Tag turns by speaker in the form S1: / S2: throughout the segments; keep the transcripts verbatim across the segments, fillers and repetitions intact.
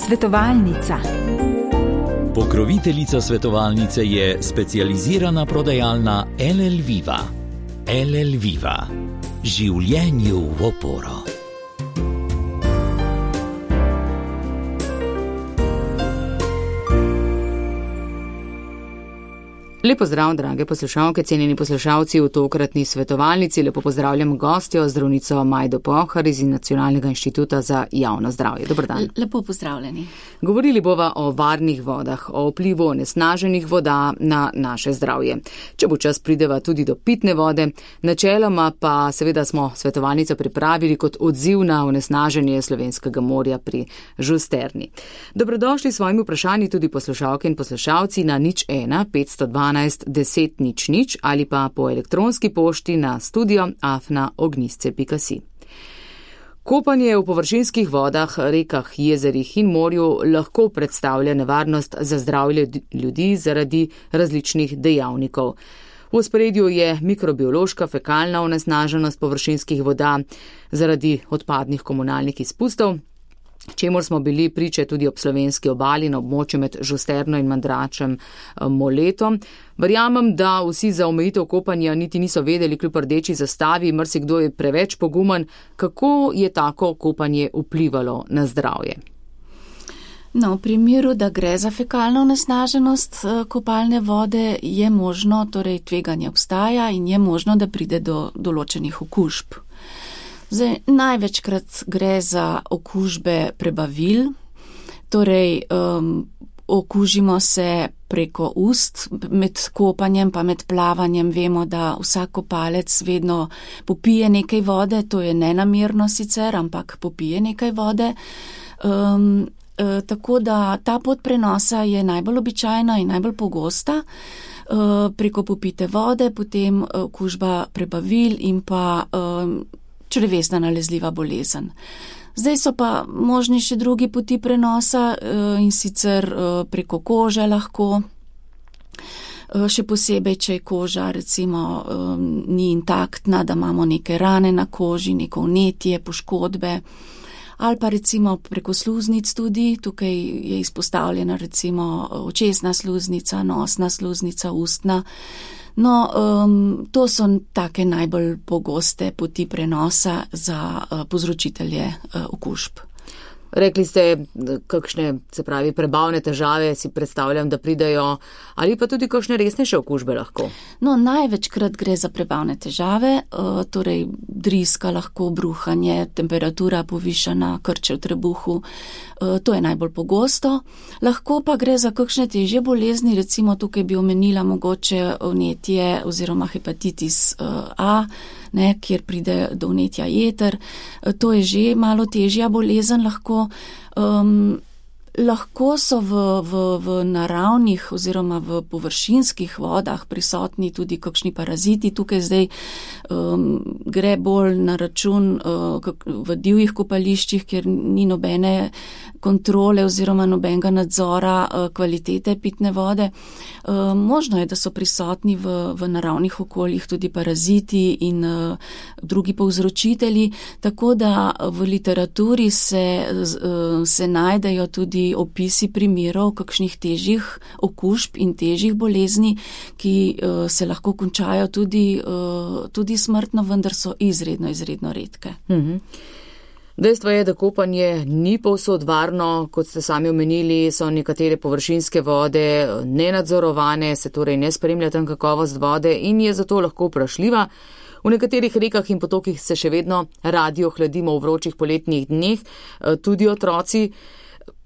S1: Svetovalnica.
S2: Pokroviteljica svetovalnice je specializirana prodajalna L L Viva. L L Viva. Življenju v oporo.
S3: Lepo zdrav, drage poslušalke, cenjeni poslušalci v tokratni svetovalnici. Lepo pozdravljam gostjo, zdravnico Majdo Pohar iz Nacionalnega inštituta za javno zdravje. Dober dan.
S4: Lepo pozdravljeni.
S3: Govorili bova o varnih vodah, o vplivu onesnaženih voda na naše zdravje. Če bo čas, prideva tudi do pitne vode. Načeloma pa seveda smo svetovalnico pripravili kot odziv na onesnaženje slovenskega morja pri Žusterni. Dobrodošli s svojimi vprašanji tudi poslušalke in poslušalci na nič ena petsto dvanajst deset nič nič ali pa po elektronski pošti na studio afna ognjisce pika si. Kopanje v površinskih vodah, rekah, jezerih in morju lahko predstavlja nevarnost za zdravje ljudi zaradi različnih dejavnikov. V ospredju je mikrobiološka fekalna onesnaženost površinskih voda zaradi odpadnih komunalnih izpustov, čemur smo bili priče tudi ob slovenski obali na območju med Žusterno in Mandračem Moletom. Verjamem, da vsi za omejitev kopanja niti niso vedeli kljub rdeči zastavi, marsikdo je preveč pogumen. Kako je tako kopanje vplivalo na zdravje?
S4: No, v primeru, da gre za fekalno onesnaženost kopalne vode, je možno, torej tveganje obstaja in je možno, da pride do določenih okužb. Zdaj, največkrat gre za okužbe prebavil, torej um, okužimo se preko ust, med kopanjem pa med plavanjem vemo, da vsak kopalec vedno popije nekaj vode, to je nenamerno sicer, ampak popije nekaj vode. Um, e, tako da ta pot prenosa je najbolj običajna in najbolj pogosta. E, preko popite vode, potem okužba prebavil in pa um, črevesna nalezljiva bolezen. Zdaj so pa možni še drugi poti prenosa in sicer preko kože lahko, še posebej, če je koža recimo ni intaktna, da imamo neke rane na koži, neko vnetje, poškodbe, ali pa recimo preko sluznic tudi, tukaj je izpostavljena recimo očesna sluznica, nosna sluznica, ustna. No, um, to so take najbolj pogoste poti prenosa za uh, povzročitelje uh, okužb.
S3: Rekli ste, kakšne, se pravi, prebavne težave si predstavljam, da pridajo, ali pa tudi kakšne resnejše okužbe lahko?
S4: No, največkrat gre za prebavne težave, uh, torej driska lahko, bruhanje, temperatura povišana, krče v trebuhu, uh, to je najbolj pogosto. Lahko pa gre za kakšne težje bolezni, recimo tukaj bi omenila mogoče vnetje oziroma hepatitis uh, A, ne, kjer pride do vnetja jeter. To je že malo težja bolezen lahko. Um, lahko so v, v, v naravnih oziroma v površinskih vodah prisotni tudi kakšni paraziti. Tukaj zdaj um, gre bolj na račun uh, v divjih kopališčih, kjer ni nobene kontrole oziroma nobenega nadzora uh, kvalitete pitne vode. Uh, možno je, da so prisotni v, v naravnih okoljih tudi paraziti in uh, drugi povzročitelji, tako da v literaturi se, uh, se najdejo tudi opisi primerov kakšnih težjih okužb in težjih bolezni, ki uh, se lahko končajo tudi, uh, tudi smrtno, vendar so izredno, izredno redke.
S3: Mhm. Dejstvo je, da kopanje ni povsod varno, kot ste sami omenili, so nekatere površinske vode nenadzorovane, se torej ne spremlja tam kakovost vode in je zato lahko vprašljiva. V nekaterih rekah in potokih se še vedno radi ohladimo v vročih poletnih dneh, tudi otroci.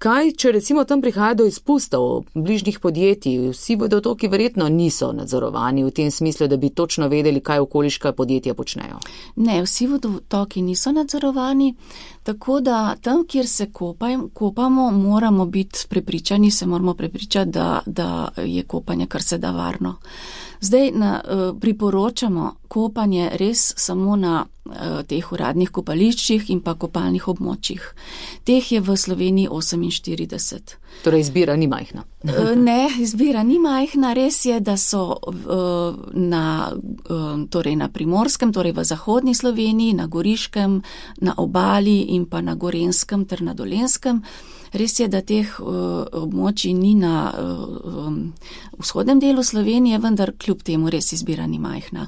S3: Kaj, če recimo tam prihaja do izpustov bližnjih podjetij? Vsi vodotoki verjetno niso nadzorovani v tem smislu, da bi točno vedeli, kaj okoliška podjetja počnejo.
S4: Ne, vsi vodotoki niso nadzorovani, tako da tam, kjer se kopaj, kopamo, moramo biti prepričani, se moramo prepričati, da, da je kopanje kar se da varno. Zdaj na, priporočamo kopanje res samo na teh uradnih kopališčih in pa kopalnih območjih. Teh je v Sloveniji oseminštirideset.
S3: Torej izbira ni majhna.
S4: Ne, izbira ni majhna. Res je, da so na, torej na Primorskem, torej v zahodni Sloveniji, na Goriškem, na Obali in pa na Gorenjskem ter na Dolenjskem. Res je, da teh območij ni na vzhodnem delu Slovenije, vendar kljub temu res izbira ni majhna.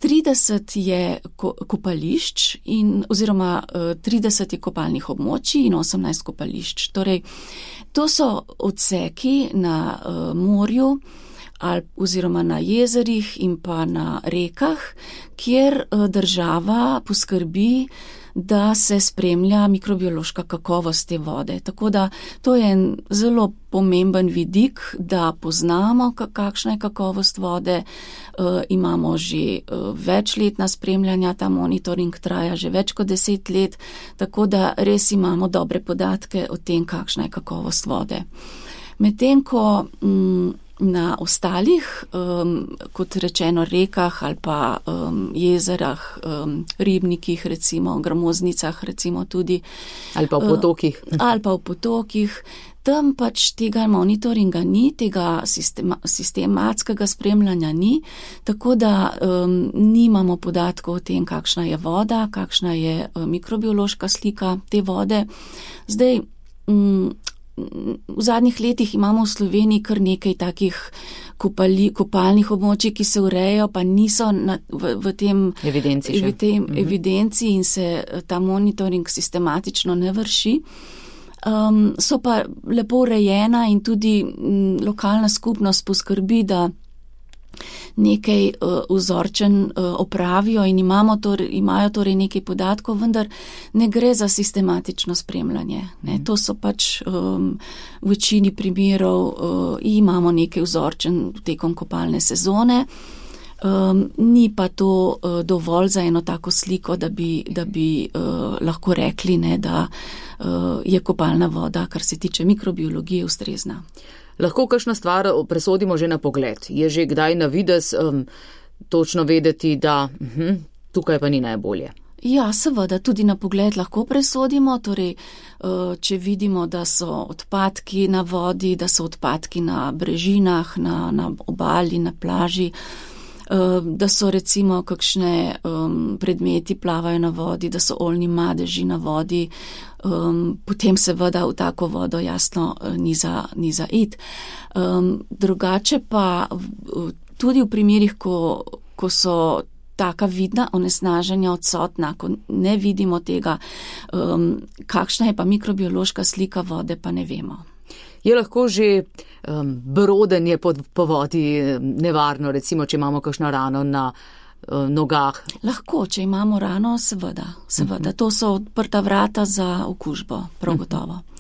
S4: trideset je kopališč in, oziroma trideset je kopalnih območij in osemnajst kopališč. Torej, to so odseki na morju ali oziroma na jezerih in pa na rekah, kjer država poskrbi, da se spremlja mikrobiološka kakovost te vode. Tako da to je en zelo pomemben vidik, da poznamo, kakšna je kakovost vode. E, imamo že večletna spremljanja, ta monitoring traja že več kot deset let, tako da res imamo dobre podatke o tem, kakšna je kakovost vode. Medtem ko m, na ostalih, um, kot rečeno, rekah ali pa um, jezerah, um, ribnikih, recimo, gramoznicah, recimo tudi.
S3: Ali pa v potokih.
S4: Uh, ali pa v potokih. Tam pač tega monitoringa ni, tega sistema, sistematskega spremljanja ni, tako da um, nimamo podatkov o tem, kakšna je voda, kakšna je uh, mikrobiološka slika te vode. Zdaj, um, v zadnjih letih imamo v Sloveniji kar nekaj takih kopali, kopalnih območij, ki se urejajo, pa niso na, v, v tem,
S3: evidenci,
S4: v tem
S3: mhm.
S4: evidenci in se ta monitoring sistematično ne vrši. Um, so pa lepo urejena in tudi m, lokalna skupnost poskrbi, da nekaj uh, vzorčen uh, opravijo in imamo torej, imajo torej nekaj podatkov, vendar ne gre za sistematično spremljanje. Ne. To so pač um, v večini primerov uh, imamo nekaj vzorčen tekom kopalne sezone. Um, ni pa to uh, dovolj za eno tako sliko, da bi, da bi uh, lahko rekli, ne, da uh, je kopalna voda, kar se tiče mikrobiologije, ustrezna.
S3: Lahko kakšna stvar presodimo že na pogled. Je že kdaj na videz um, točno vedeti, da uh-huh, tukaj pa ni najbolje?
S4: Ja, seveda, tudi na pogled lahko presodimo. Torej, uh, če vidimo, da so odpadki na vodi, da so odpadki na brežinah, na, na obali, na plaži, da so recimo kakšne um, predmeti plavajo na vodi, da so oljni madeži na vodi, um, potem seveda v tako vodo jasno ni za, ni za it. Um, drugače pa v, tudi v primerih, ko, ko so taka vidna onesnaženja odsotna, ko ne vidimo tega, um, kakšna je pa mikrobiološka slika vode, pa ne vemo.
S3: Je lahko že um, brodenje po, po vodi nevarno, recimo, če imamo kakšno rano na uh, nogah?
S4: Lahko, če imamo rano, seveda. seveda. Uh-huh. To so odprta vrata za okužbo, prav gotovo. Uh-huh.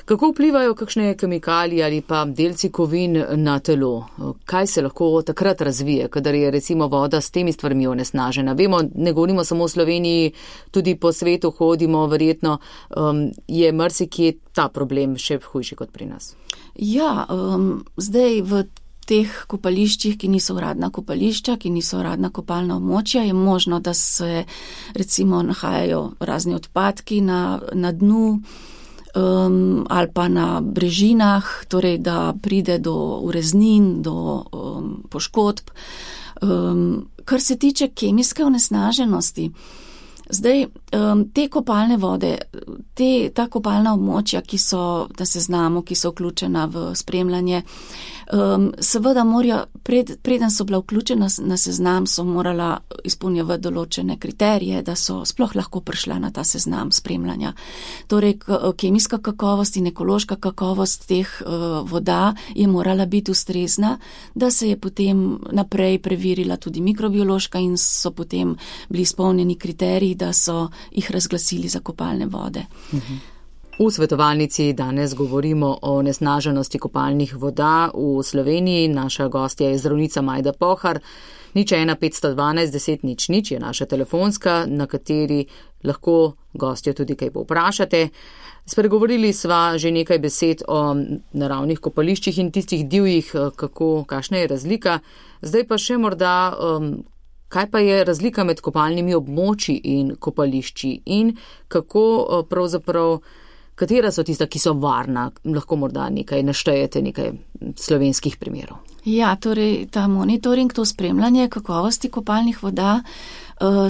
S3: Kako vplivajo kakšne kemikalije ali pa delci kovin na telo? Kaj se lahko takrat razvije, kadar je recimo voda s temi stvarmi onesnažena? Vemo, ne govorimo samo v Sloveniji, tudi po svetu hodimo, verjetno um, je marsikje ta problem še hujši kot pri nas.
S4: Ja, um, zdaj v teh kopališčih, ki niso uradna kopališča, ki niso uradna kopalna območja, je možno, da se recimo nahajajo razni odpadki na, na dnu, Um, ali pa na brežinah, torej da pride do ureznin, do um, poškodb. Um, kar se tiče kemijske onesnaženosti, zdaj um, te kopalne vode, te, ta kopalna območja, ki so na seznamu, ki so vključena v spremljanje, um, seveda morajo, pred, preden so bila vključena na seznam, so morala izpolnjevati določene kriterije, da so sploh lahko prišla na ta seznam spremljanja. Torej, kemijska kakovost in ekološka kakovost teh uh, voda je morala biti ustrezna, da se je potem naprej preverila tudi mikrobiološka in so potem bili izpolnjeni kriteriji, da so jih razglasili za kopalne vode.
S3: Mhm. V svetovalnici danes govorimo o onesnaženosti kopalnih voda v Sloveniji. Naša gostja je zdravnica Majda Pohar. Nič ena petsto dvanajst deset nič nič je naša telefonska, na kateri lahko gostjo tudi kaj povprašate. Spregovorili sva že nekaj besed o naravnih kopališčih in tistih divjih, kako, kakšna je razlika. Zdaj pa še morda, um, kaj pa je razlika med kopalnimi območji in kopališči in kako pravzaprav, katera so tista, ki so varna, lahko morda nekaj naštejete, nekaj slovenskih primerov?
S4: Ja, torej ta monitoring, to spremljanje kakovosti kopalnih voda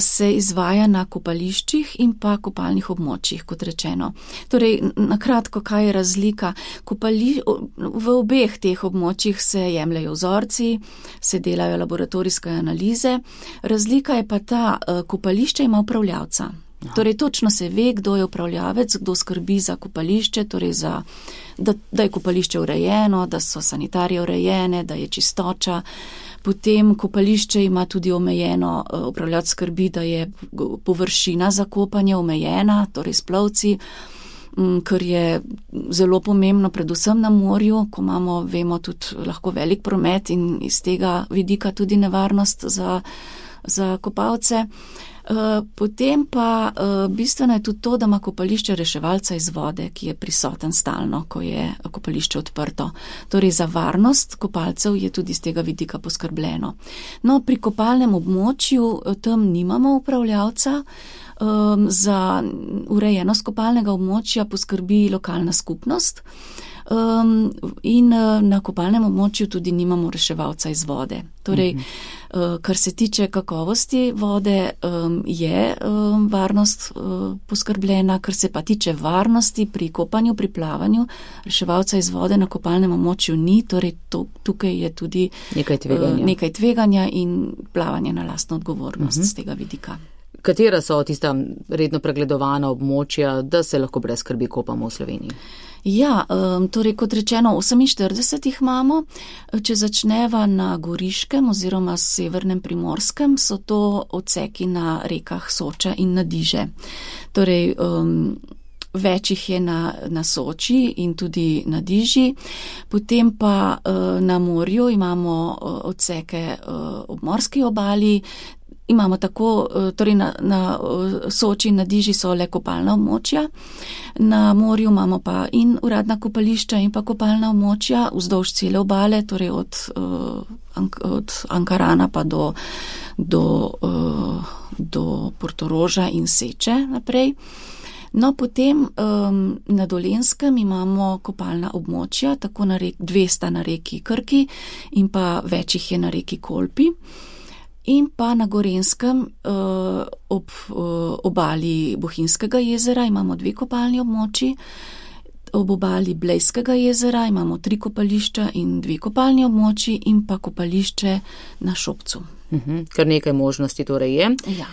S4: se izvaja na kopališčih in pa kopalnih območjih, kot rečeno. Torej, nakratko, kaj je razlika? Kopali, v obeh teh območjih se jemljajo vzorci, se delajo laboratorijske analize. Razlika je pa ta, kopališče ima upravljavca. Ja. Torej, točno se ve, kdo je upravljavec, kdo skrbi za kopališče, torej za, da, da je kopališče urejeno, da so sanitarije urejene, da je čistoča. Potem kopališče ima tudi omejeno, upravljavec skrbi, da je površina za kopanje omejena, torej s plovci, kar je zelo pomembno, predvsem na morju, ko imamo, vemo, tudi lahko velik promet in iz tega vidika tudi nevarnost za, za kopalce. Potem pa bistveno je tudi to, da ima kopališče reševalca iz vode, ki je prisoten stalno, ko je kopališče odprto. Torej za varnost kopalcev je tudi iz tega vidika poskrbljeno. No, pri kopalnem območju tam nimamo upravljavca. Za urejenost kopalnega območja poskrbi lokalna skupnost. Um, in na kopalnem območju tudi nimamo reševalca iz vode. Torej, uh-huh. kar se tiče kakovosti vode, um, je um, varnost uh, poskrbljena, kar se pa tiče varnosti pri kopanju, pri plavanju, reševalca iz vode na kopalnem območju ni, torej to, tukaj je tudi
S3: nekaj tveganja,
S4: uh, nekaj tveganja in plavanje na lastno odgovornost uh-huh. z tega vidika.
S3: Katera so tista redno pregledovana območja, da se lahko brez skrbi kopamo v Sloveniji?
S4: Ja, torej kot rečeno, oseminštirideset jih imamo. Če začneva na Goriškem oziroma severnem Primorskem, so to odseki na rekah Soča in na Diže. Torej, um, več jih je na, na Soči in tudi na Diži. Potem pa uh, na morju imamo uh, odseke uh, ob morski obali. Imamo tako, torej na, na Soči in na Diži so le kopalna območja, na morju imamo pa in uradna kopališča in pa kopalna območja vzdolž cele obale, torej od, od Ankarana pa do, do, do Portoroža in Seče naprej. No, potem um, na Dolenjskem imamo kopalna območja, tako na rek, dve sta na reki Krki in pa več jih je na reki Kolpi. In pa na Gorenjskem uh, ob uh, obali Bohinjskega jezera imamo dve kopalni območji, ob obali Blejskega jezera imamo tri kopališča in dve kopalni območji in pa kopališče na Šopcu.
S3: Uh-huh. Kar nekaj možnosti torej je.
S4: Ja.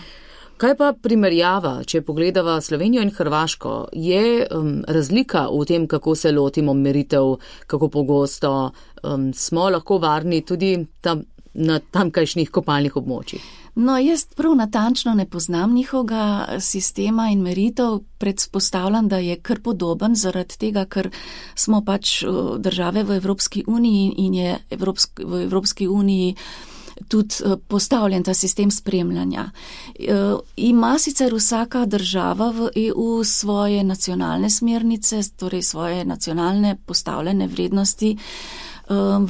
S3: Kaj pa primerjava, če pogledava Slovenijo in Hrvaško, je um, razlika v tem, kako se lotimo meritev, kako pogosto um, smo lahko varni tudi tam na tamkajšnjih kopalnih območjih?
S4: No, jaz prav natančno ne poznam njihovega sistema in meritev, predpostavljam, da je kar podoben zaradi tega, ker smo pač države v Evropski uniji in je Evropsk, v Evropski uniji tudi postavljen ta sistem spremljanja. Ima sicer vsaka država v E U svoje nacionalne smernice, torej svoje nacionalne postavljene vrednosti,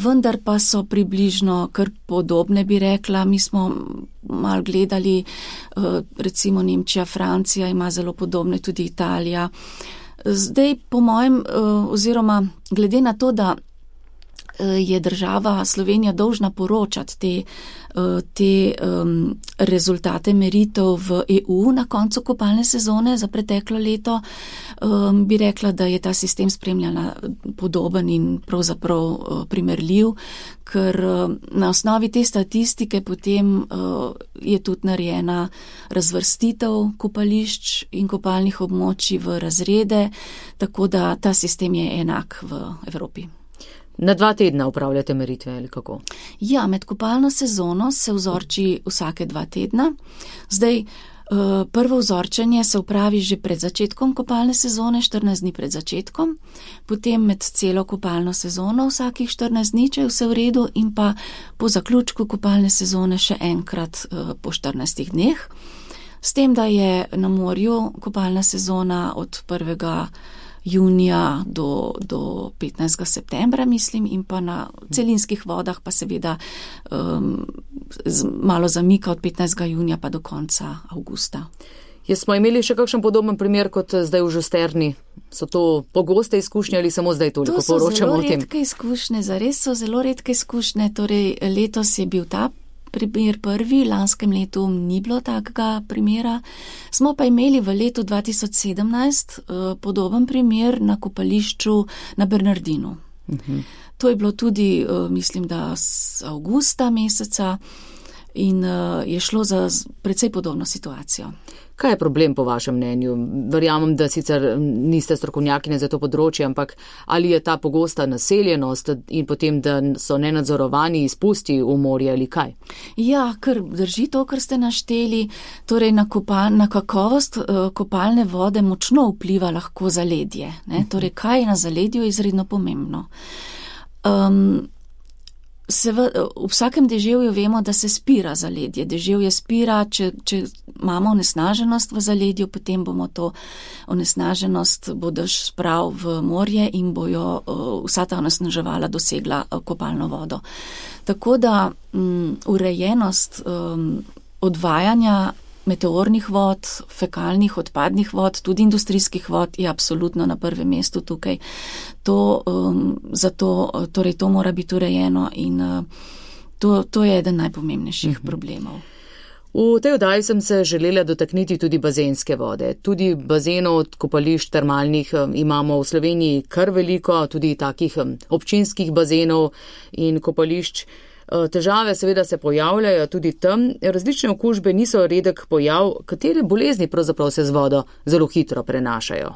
S4: vendar pa so približno kar podobne, bi rekla. Mi smo malo gledali, recimo Nemčija, Francija ima zelo podobne, tudi Italija. Zdaj, po mojem, oziroma glede na to, da je država Slovenija dolžna poročati te, te um, rezultate meritev v E U na koncu kopalne sezone za preteklo leto, um, bi rekla, da je ta sistem spremljanja podoben in pravzaprav uh, primerljiv, ker uh, na osnovi te statistike potem uh, je tudi narejena razvrstitev kopališč in kopalnih območij v razrede, tako da ta sistem je enak v Evropi.
S3: Na dva tedna upravljate meritve ali kako?
S4: Ja, med kopalno sezono se vzorči vsake dva tedna. Zdaj, prvo vzorčenje se upravi že pred začetkom kopalne sezone, štirinajst dni pred začetkom, potem med celo kopalno sezono vsakih štirinajst dni, če je vse v redu, in pa po zaključku kopalne sezone še enkrat po štirinajstih dneh. S tem, da je na morju kopalna sezona od prvega junija do, do petnajstega septembra, mislim, in pa na celinskih vodah pa seveda um, malo zamika od petnajstega junija pa do konca avgusta.
S3: Jaz smo imeli še kakšen podoben primer kot zdaj v Žusterni? So to pogoste izkušnje ali samo zdaj toliko poročamo o tem?
S4: To so zelo redke izkušnje, zares so zelo redke izkušnje. Torej, letos je bil ta primer prvi, lanskem letu ni bilo takega primera. Smo pa imeli v letu dva tisoč sedemnajst uh, podoben primer na kopališču na Bernardinu. Uh-huh. To je bilo tudi, uh, mislim, da z avgusta meseca in uh, je šlo za precej podobno situacijo.
S3: Kaj je problem po vašem mnenju? Verjamem, da sicer niste strokovnjakinja za to področje, ampak ali je ta pogosta naseljenost in potem, da so nenadzorovani izpusti v morje ali kaj?
S4: Ja, ker drži to, kar ste našteli, torej na, kopal, na kakovost uh, kopalne vode močno vpliva lahko zaledje. Ne? Torej, kaj je na zaledju je izredno pomembno. Um, Se v, v vsakem deževju vemo, da se spira zaledje. Deževje spira, če, če imamo onesnaženost v zaledju, potem bomo to onesnaženost bo dež sprav v morje in bojo uh, vsa ta onesnaževala dosegla uh, kopalno vodo. Tako da um, urejenost um, odvajanja meteornih vod, fekalnih, odpadnih vod, tudi industrijskih vod je absolutno na prvem mestu tukaj. To, um, zato, torej to mora biti urejeno in uh, to, to je eden najpomembnejših uh-huh. problemov.
S3: V tej oddaji sem se želela dotakniti tudi bazenske vode. Tudi bazenov od kopališč termalnih imamo v Sloveniji kar veliko, tudi takih občinskih bazenov in kopališč. Težave seveda se pojavljajo tudi tam, različne okužbe niso redek pojav, katere bolezni pravzaprav se z vodo zelo hitro prenašajo.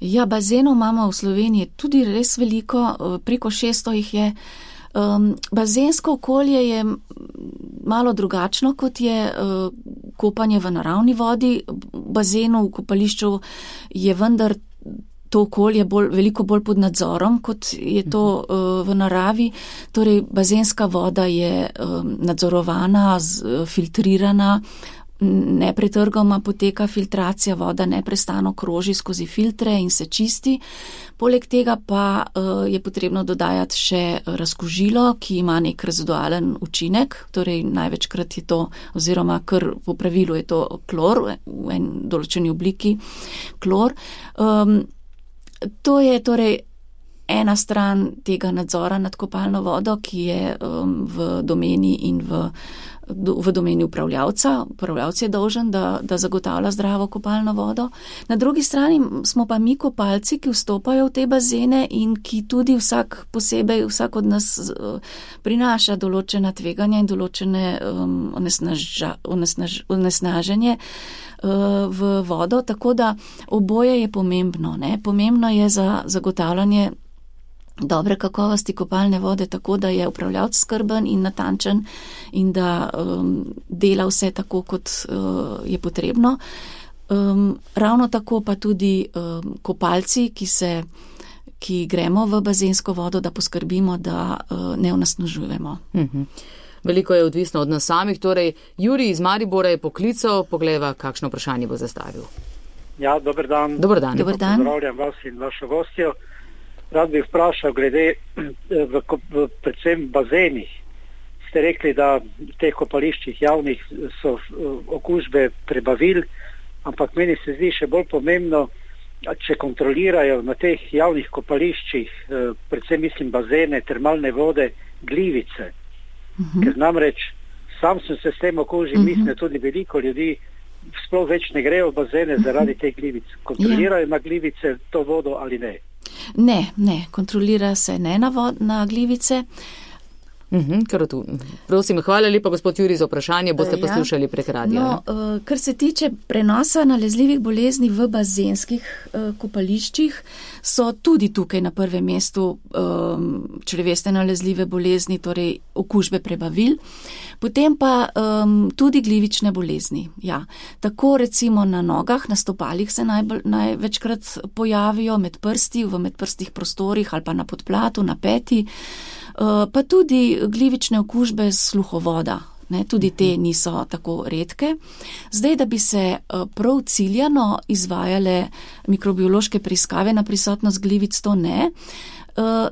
S4: Ja, bazenov imamo v Sloveniji tudi res veliko, preko šeststo jih je. Um, bazensko okolje je malo drugačno, kot je uh, kopanje v naravni vodi. Bazenu v kopališču je vendar to okolje bolj, veliko bolj pod nadzorom, kot je to uh, v naravi. Torej, bazenska voda je um, nadzorovana, z, filtrirana, nepretrgoma poteka filtracija, voda neprestano kroži skozi filtre in se čisti. Poleg tega pa uh, je potrebno dodajati še razkužilo, ki ima nek rezidualen učinek, torej največkrat je to, oziroma kar po pravilu je to klor, v en določeni obliki klor. Um, To je torej ena stran tega nadzora nad kopalno vodo, ki je um, v domeni in v, v domeni upravljavca. Upravljavc je dolžen, da, da zagotavlja zdravo kopalno vodo. Na drugi strani smo pa mi kopalci, ki vstopajo v te bazene in ki tudi vsak posebej, vsak od nas uh, prinaša določena tveganja in določene um, onesnaža, onesnaž, onesnaženje v vodo, tako da oboje je pomembno. Ne? Pomembno je za zagotavljanje dobre kakovosti kopalne vode, tako da je upravljavc skrben in natančen in da um, dela vse tako, kot uh, je potrebno. Um, ravno tako pa tudi um, kopalci, ki se ki gremo v bazensko vodo, da poskrbimo, da uh, ne onesnažujemo.
S3: Mhm. Veliko je odvisno od nas samih, torej Jurij iz Maribora je poklical, poglejva, kakšno vprašanje bo zastavil.
S1: Ja, dober dan.
S3: Dober dan.
S4: Dober dan.
S1: Pozdravljam vas in vašo gostjo. Rad bi vprašal glede v, v predvsem bazenih. Ste rekli, da v teh kopališčih javnih so okužbe prebavil, ampak meni se zdi še bolj pomembno, če kontrolirajo na teh javnih kopališčih, predvsem mislim bazene, termalne vode, glivice. Uh-huh. Ker namreč sam sem se s tem okužil, uh-huh. mislim, tudi veliko ljudi sploh več ne grejo v bazene uh-huh. zaradi teh glivic. Kontrolirajo ja. na glivice to vodo ali ne?
S4: Ne, ne, kontrolira se ne na, vod, na glivice.
S3: Mhm, kar tu. Prosim, hvala lepa, gospod Jurij, za vprašanje, boste ja. poslušali prek radija.
S4: No, uh, kar se tiče prenosa nalezljivih bolezni v bazenskih uh, kopališčih, so tudi tukaj na prvem mestu um, črevesne nalezljive bolezni, torej okužbe prebavil, potem pa um, tudi glivične bolezni. Ja. Tako recimo na nogah, na stopalih se najbolj, največkrat pojavijo, med prsti, v medprstih prostorih ali pa na podplatu, na peti. Pa tudi glivične okužbe sluhovoda, ne, tudi te niso tako redke. Zdaj, da bi se prav ciljano izvajale mikrobiološke preiskave na prisotnost glivic, to ne.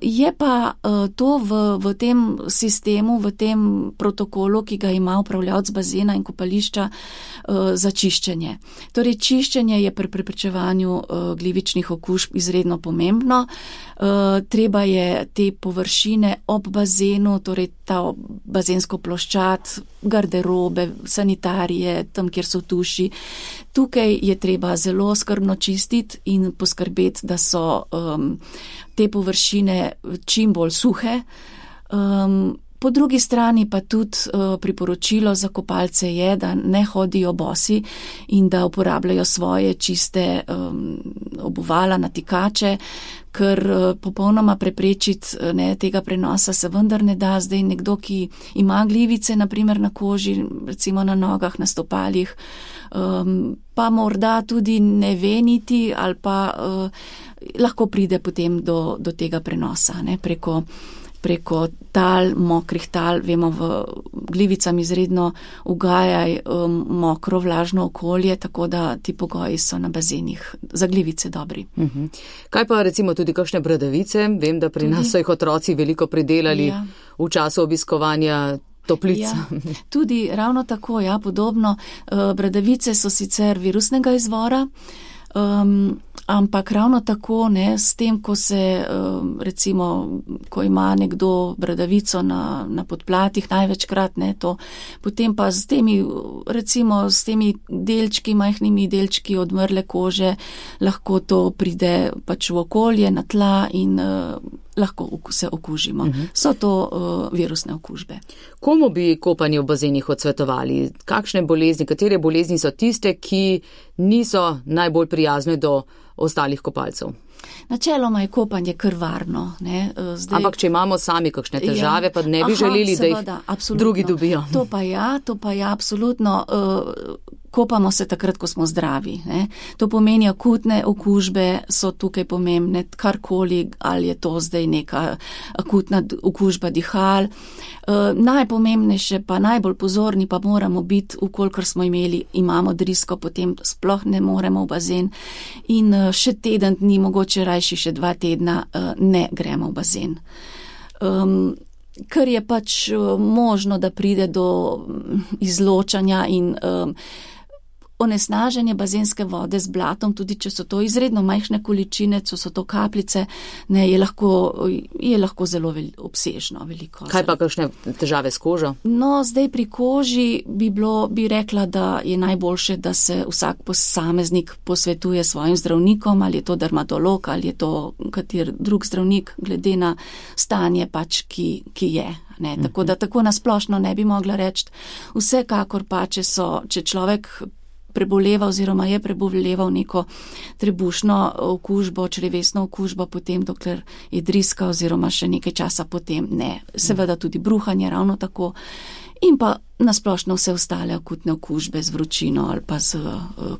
S4: Je pa to v, v tem sistemu, v tem protokolu, ki ga ima upravljavec bazena in kopališča za čiščenje. Torej, čiščenje je pri preprečevanju glivičnih okužb izredno pomembno. Treba je te površine ob bazenu, torej ta bazensko ploščad, garderobe, sanitarije, tam, kjer so tuši. Tukaj je treba zelo skrbno čistiti in poskrbeti, da so um, te površine čim bolj suhe. Um, po drugi strani pa tudi uh, priporočilo za kopalce je, da ne hodijo bosi in da uporabljajo svoje čiste um, obuvala, natikače, ker uh, popolnoma preprečiti ne, tega prenosa se vendar ne da. Zdaj nekdo, ki ima glivice, naprimer na koži, recimo na nogah, na stopalih, um, pa morda tudi ne ve niti ali pa uh, lahko pride potem do, do tega prenosa ne, preko, preko tal, mokrih tal. Vemo, v glivicam izredno ugajaj um, mokro, vlažno okolje, tako da ti pogoji so na bazenih za glivice dobri.
S3: Uh-huh. Kaj pa recimo tudi kakšne bradavice? Vem, da pri tudi, nas so jih otroci veliko pridelali ja. v času obiskovanja toplic.
S4: Ja, tudi ravno tako, ja, podobno. Uh, bradavice so sicer virusnega izvora, um, ampak ravno tako, ne, s tem, ko se, um, recimo, ko ima nekdo bradavico na, na podplatih, največkrat, ne, to, potem pa s temi, recimo, s temi delčki, majhnimi delčki odmrle kože, lahko to pride pač v okolje, na tla in uh, lahko se okužimo. Uh-huh. So to uh, virusne okužbe.
S3: Komu bi kopanje v bazenih odsvetovali? Kakšne bolezni, katere bolezni so tiste, ki niso najbolj prijazne do ostalih kopalcev?
S4: Načeloma je kopanje kar varno. Ne? Zdaj,
S3: ampak če imamo sami kakšne težave, ja, pa ne bi aha, želeli, seveda, da jih absolutno. drugi dobijo.
S4: To pa ja, to pa ja, absolutno. Uh, kopamo se takrat, ko smo zdravi. Ne? To pomeni, akutne okužbe so tukaj pomembne, karkoli, ali je to zdaj neka akutna okužba dihal. Uh, najpomembnejše pa, najbolj pozorni pa moramo biti, ukolikor smo imeli, imamo drisko, potem sploh ne moremo v bazen in uh, še teden dni, mogoče rajši še dva tedna, uh, ne gremo v bazen. Um, ker je pač uh, možno, da pride do izločanja in um, onesnaženje bazenske vode z blatom, tudi če so to izredno majhne količine, če so to kapljice, ne, je lahko, je lahko zelo vel, obsežno, veliko.
S3: Kaj pa kakšne težave s kožo?
S4: No, zdaj pri koži bi bilo, bi rekla, da je najboljše, da se vsak posameznik posvetuje svojim zdravnikom, ali je to dermatolog, ali je to kater drug zdravnik, glede na stanje pač, ki, ki je. Ne, tako da tako nasplošno ne bi mogla reči. Vsekakor pa, če so, če človek preboleva oziroma je preboleval neko trebušno okužbo, črevesno okužbo, potem dokler je driska oziroma še nekaj časa potem ne. Seveda tudi bruhanje ravno tako in pa nasplošno vse ostale akutne okužbe z vročino ali pa z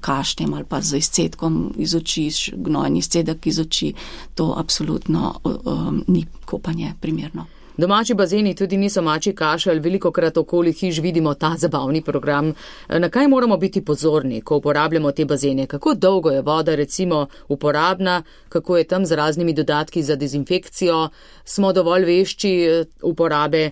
S4: kašljem ali pa z izcedkom iz oči, gnojni izcedek iz oči, to absolutno um, ni kopanje primerno.
S3: Domači bazeni tudi niso mačji kašelj, velikokrat okoli hiš vidimo ta zabavni program. Na kaj moramo biti pozorni, ko uporabljamo te bazene? Kako dolgo je voda recimo uporabna, kako je tam z raznimi dodatki za dezinfekcijo, smo dovolj vešči uporabe?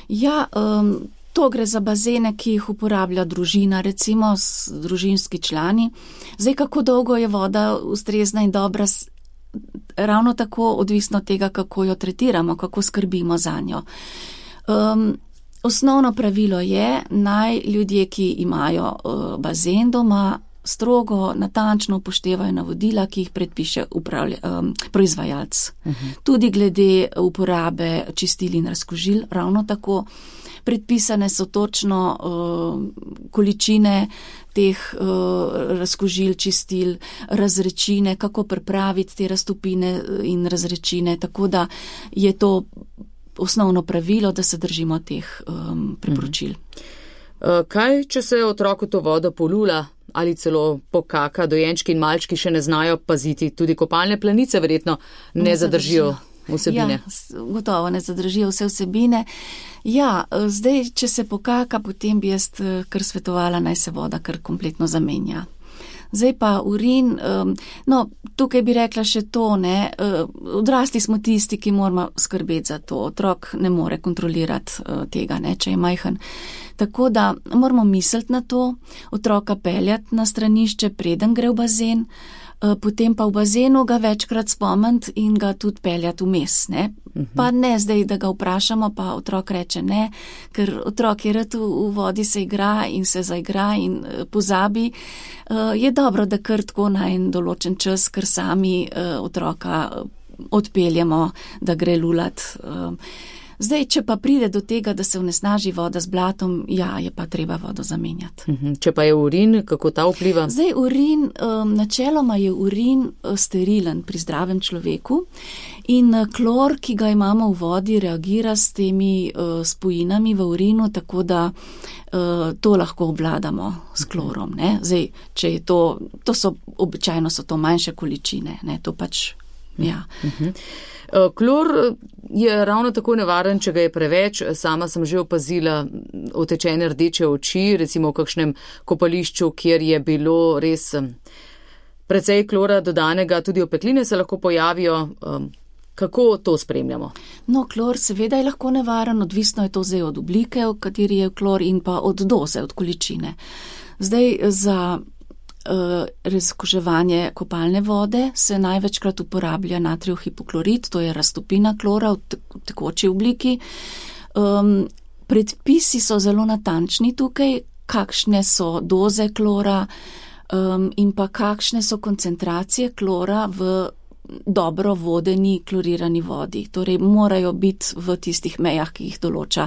S4: Ja, um, to gre za bazene, ki jih uporablja družina, recimo družinski člani. Zdaj, kako dolgo je voda ustrezna in dobra, ravno tako odvisno od tega, kako jo tretiramo, kako skrbimo za njo. Um, osnovno pravilo je, naj ljudje, ki imajo uh, bazen doma, strogo, natančno upoštevajo navodila, ki jih predpiše upravlja, um, proizvajalec. Uh-huh. Tudi glede uporabe čistil in razkužil, ravno tako. Predpisane so točno uh, količine teh uh, razkužil, čistil, razrečine, kako pripraviti te raztopine in razrečine, tako da je to osnovno pravilo, da se držimo teh um, priporočil.
S3: Uh, kaj, če se otroku to vodo polula ali celo pokaka, dojenčki in malčki še ne znajo paziti, tudi kopalne planice verjetno ne, ne zadržijo vsebine?
S4: Ja, gotovo ne zadržijo vse vsebine. Ja, zdaj, če se pokaka, potem bi jaz kar svetovala, naj se voda kar kompletno zamenja. Zdaj pa urin, um, no, tukaj bi rekla še to, ne, uh, odrasli smo tisti, ki moramo skrbeti za to. Otrok ne more kontrolirati uh, tega, ne, če je majhen. Tako da moramo misliti na to, otroka peljati na stranišče, preden gre v bazen, uh, potem pa v bazenu ga večkrat spomniti in ga tudi peljati vmes, ne. Uh-huh. Pa ne zdaj, da ga vprašamo, pa otrok reče ne, ker otrok je rad v, v vodi se igra in se zaigra in uh, pozabi. Uh, je dobro, da kar tako na en določen čas, ker sami uh, otroka odpeljemo, da gre lulat. Uh, zdaj, če pa pride do tega, da se onesnaži voda z blatom, ja, je pa treba vodo zamenjati.
S3: Uh-huh. Če pa je urin, kako ta vpliva?
S4: Zdaj, urin, um, načeloma je urin uh, sterilen pri zdravem človeku in uh, klor, ki ga imamo v vodi, reagira s temi uh, spojinami v urinu, tako da uh, to lahko obvladamo s klorom, ne. Zdaj, če je to, to so, običajno so to manjše količine, ne, to pač, ja.
S3: Uh-huh. Klor je ravno tako nevaren, če ga je preveč. Sama sem že opazila otečene rdeče oči, recimo v kakšnem kopališču, kjer je bilo res precej klora dodanega, tudi opekline se lahko pojavijo. Kako to spremljamo?
S4: No, klor seveda je lahko nevaren, odvisno je to zdaj od oblike, v kateri je klor in pa od doze, od količine. Zdaj za Uh, razkuževanje kopalne vode se največkrat uporablja natrijev hipoklorit, to je raztopina klora v tekoči obliki. Um, predpisi so zelo natančni tukaj, kakšne so doze klora um, in pa kakšne so koncentracije klora v dobro vodeni klorirani vodi. Torej morajo biti v tistih mejah, ki jih določa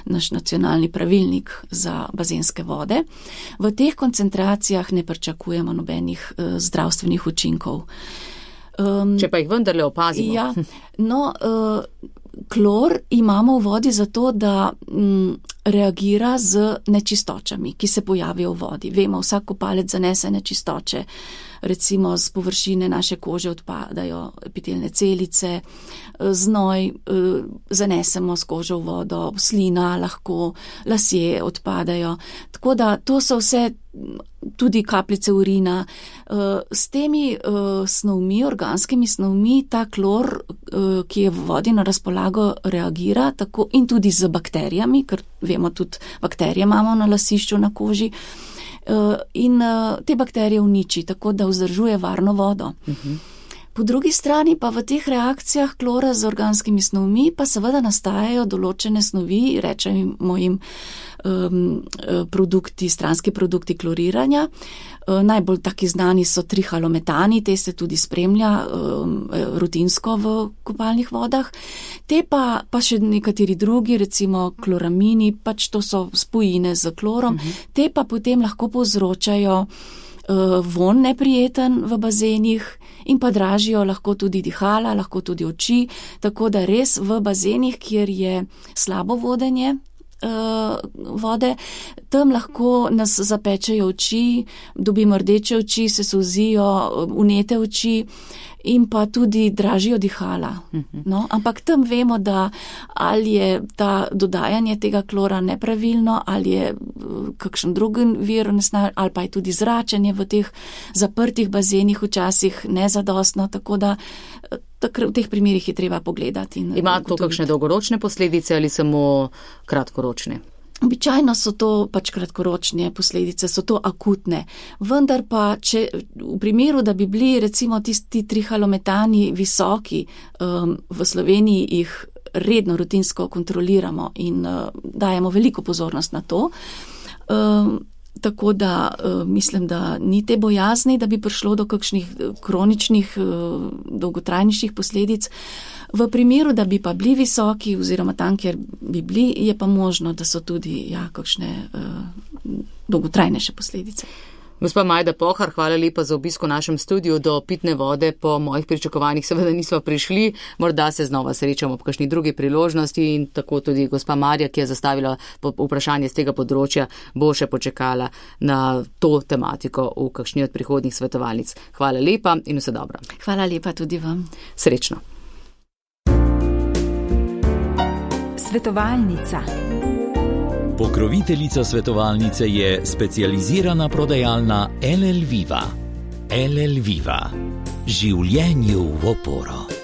S4: naš nacionalni pravilnik za bazenske vode. V teh koncentracijah ne pričakujemo nobenih uh, zdravstvenih učinkov. Um,
S3: Če pa jih vendarle opazimo.
S4: Ja, no, uh, klor imamo v vodi zato, da m, reagira z nečistočami, ki se pojavijo v vodi. Vemo, vsak kopalec zanese nečistoče. Recimo z površine naše kože odpadajo epitelne celice, znoj zanesemo s kožo v vodo, slina lahko, lasje odpadajo. Tako da to so vse tudi kapljice urina. S temi snovmi, organskimi snovmi, ta klor, ki je v vodi na razpolago, reagira tako in tudi z bakterijami, ker vemo tudi bakterije imamo na lasišču, na koži. In te bakterije uniči, tako da vzdržuje varno vodo. Uh-huh. Po drugi strani pa v teh reakcijah klora z organskimi snovmi pa seveda nastajajo določene snovi, rečemo jim um, produkti, stranski produkti kloriranja. Uh, najbolj taki znani so trihalometani, te se tudi spremlja um, rutinsko v kopalnih vodah. Te pa, pa še nekateri drugi, recimo kloramini, pač to so spojine z klorom, uh-huh. Te pa potem lahko povzročajo uh, von neprijeten v bazenih, in pa dražijo lahko tudi dihala, lahko tudi oči, tako da res v bazenih, kjer je slabo vodenje uh, vode, tam lahko nas zapečejo oči, dobimo rdeče oči, se solzijo, unete oči in pa tudi dražijo dihala. No, ampak tam vemo, da ali je ta dodajanje tega klora nepravilno, ali je kakšen drugi vir, ali pa je tudi zračenje v teh zaprtih bazenih včasih nezadostno, tako da v teh primerih je treba pogledati.
S3: Ima to kakšne dolgoročne posledice ali samo kratkoročne?
S4: Običajno so to pač kratkoročne posledice, so to akutne. Vendar pa, če v primeru, da bi bili recimo tisti trihalometani visoki, um, v Sloveniji jih redno rutinsko kontroliramo in uh, dajemo veliko pozornost na to, um, tako da uh, mislim, da ni te bojazni, da bi prišlo do kakšnih kroničnih, uh, dolgotrajnejših posledic. V primeru, da bi pa bili visoki oziroma tam, kjer bi bili, je pa možno, da so tudi ja, kakšne uh, dolgotrajnejše posledice.
S3: Gospa Majda Pohar, hvala lepa za obisk v našem studiu. Do pitne vode po mojih pričakovanjih seveda nismo prišli, morda se znova srečamo po kakšni drugi priložnosti in tako tudi gospa Marja, ki je zastavila vprašanje z tega področja, bo še počakala na to tematiko v kakšni od prihodnjih svetovalnic. Hvala lepa in vse dobro.
S4: Hvala lepa tudi vam.
S3: Srečno.
S2: Svetovalnica. Pokroviteljica svetovalnice je specializirana prodajalna L L Viva. El El Viva. Življenju v oporo.